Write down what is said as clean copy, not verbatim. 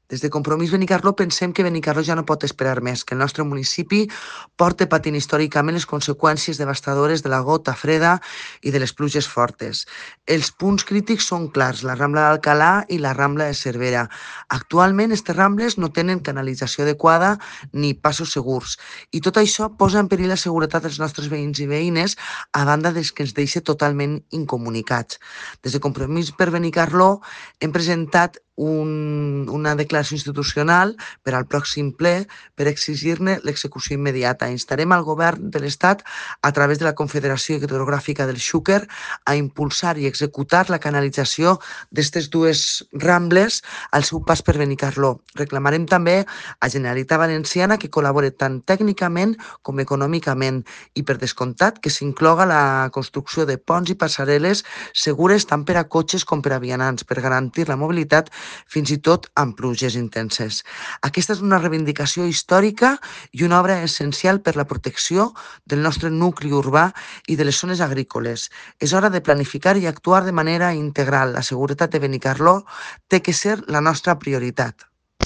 Des de Compromís Benicarló pensem que Benicarló ja no pot esperar més, que el nostre municipi porta patint històricament les conseqüències devastadores de la gota freda i de les pluges fortes. Els punts crítics són clars, la Rambla d'Alcalà i la Rambla de Cervera. Actualment, aquestes rambles no tenen canalització adequada ni passos segurs i tot això posa en perill la seguretat dels nostres veïns i veïnes a banda des que ens deixa totalment incomunicats. Des de Compromís per Benicarló hem presentat una declaració institucional per al pròxim ple per exigir-ne l'execució immediata. Instarem al govern de l'Estat, a través de la Confederació Hidrogràfica del Xúquer, a impulsar i executar la canalització d'aquestes dues rambles al seu pas per Benicarló. Reclamarem també a Generalitat Valenciana que col·labore tant tècnicament com econòmicament i, per descomptat, que s'incloga la construcció de ponts i passarel·les segures tant per a cotxes com per a vianants per garantir la mobilitat fins i tot amb pluges intenses. Aquesta és una reivindicació històrica i una obra essencial per la protecció del nostre nucli urbà i de les zones agrícoles. És hora de planificar i actuar de manera integral. La seguretat de Benicarló té que ser la nostra prioritat.